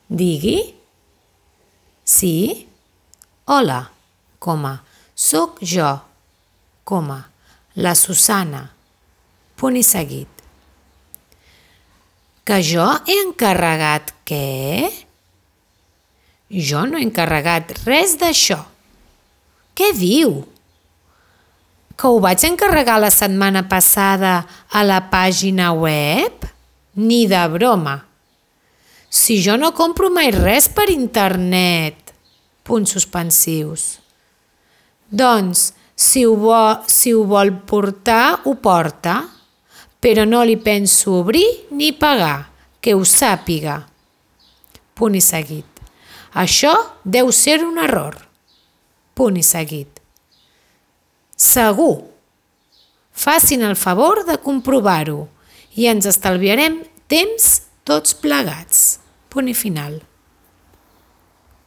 Digui. Sí. Hola, soc jo, la Susana, punt i seguit. Que jo he encarregat què? Jo no he encarregat res d'això. Què diu? Que ho vaig encarregar la setmana passada a la pàgina web? Ni de broma. Si jo no compro mai res per internet. Punts suspensius. Doncs, si ho vol portar, ho porta, però no li penso obrir ni pagar, que ho sàpiga. Punt i seguit. Això deu ser un error. Punt i seguit. Segur. Facin el favor de comprovar-ho i ens estalviarem temps tots plegats. Punt i final.